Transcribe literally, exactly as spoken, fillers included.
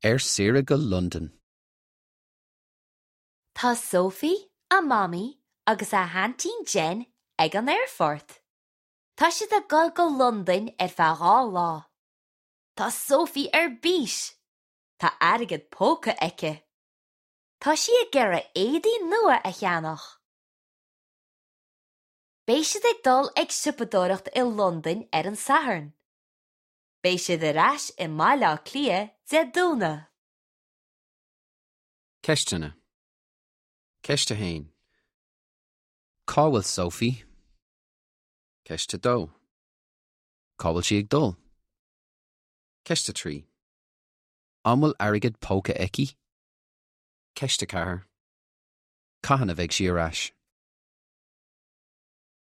Ar saoire go Londain. Tá Sophie, a mamaí agus a haintín Jen ag an aerfort. Tá siad ag dul go Londain ar feadh dhá lá. Tá Sophie ar bís. Tá airgead póca aici. Tá sí ag iarraidh éadaí nua a cheannach. Beidh siad ag dul ag siopadóireacht i Londain ar an Satharn. Beidh siad ar ais i mBaile Átha Cliath Dé Domhnaigh. Ceisteanna. Ceist a haon. Cá bhfuil Sophie? Ceist a dó. Cá bhfuil sí ag dul? Ceist a trí. An bhfuil airgead póca aici? Ceist a ceathair. Cathain a bheidh sí ar ais.